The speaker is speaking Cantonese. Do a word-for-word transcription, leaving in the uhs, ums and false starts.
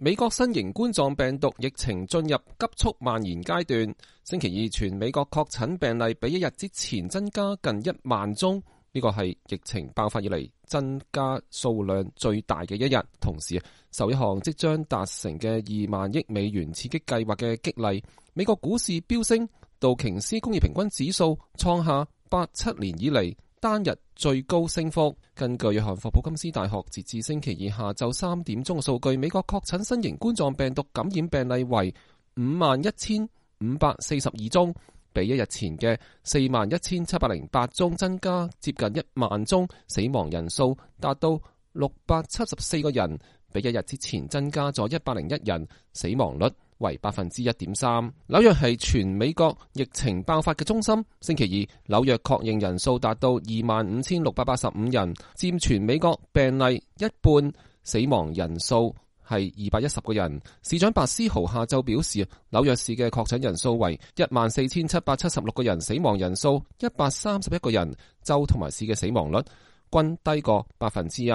美國新型冠狀病毒疫情進入急速蔓延階段，星期二全美國確診病例比一日之前增加近一萬宗，呢個係疫情爆發以嚟增加數量最大嘅一日。同時，受一項即將達成嘅二萬億美元刺激計劃嘅激勵，美國股市飆升，道瓊斯工業平均指數創下八七年以嚟單日最高升幅。根據約翰霍普金斯大學截至星期二下晝三點鐘嘅數據，美國確診新型冠狀病毒感染病例為五萬一千五百四十二宗，比一日前嘅四萬一千七百零八宗增加接近一萬宗，死亡人數達到六百七十四個人，比一日之前增加咗一百零一人，死亡率為百分之一點三。紐約係全美國疫情爆發嘅中心，星期二紐約確認人數達到二萬五千六百八十五人，佔全美國病例一半，死亡人數係二百一十個人。市長白思豪下晝表示，紐約市嘅確診人數為一萬四千七百七十六個人，死亡人數一百三十一個人，州同埋市嘅死亡率均低過百分之一。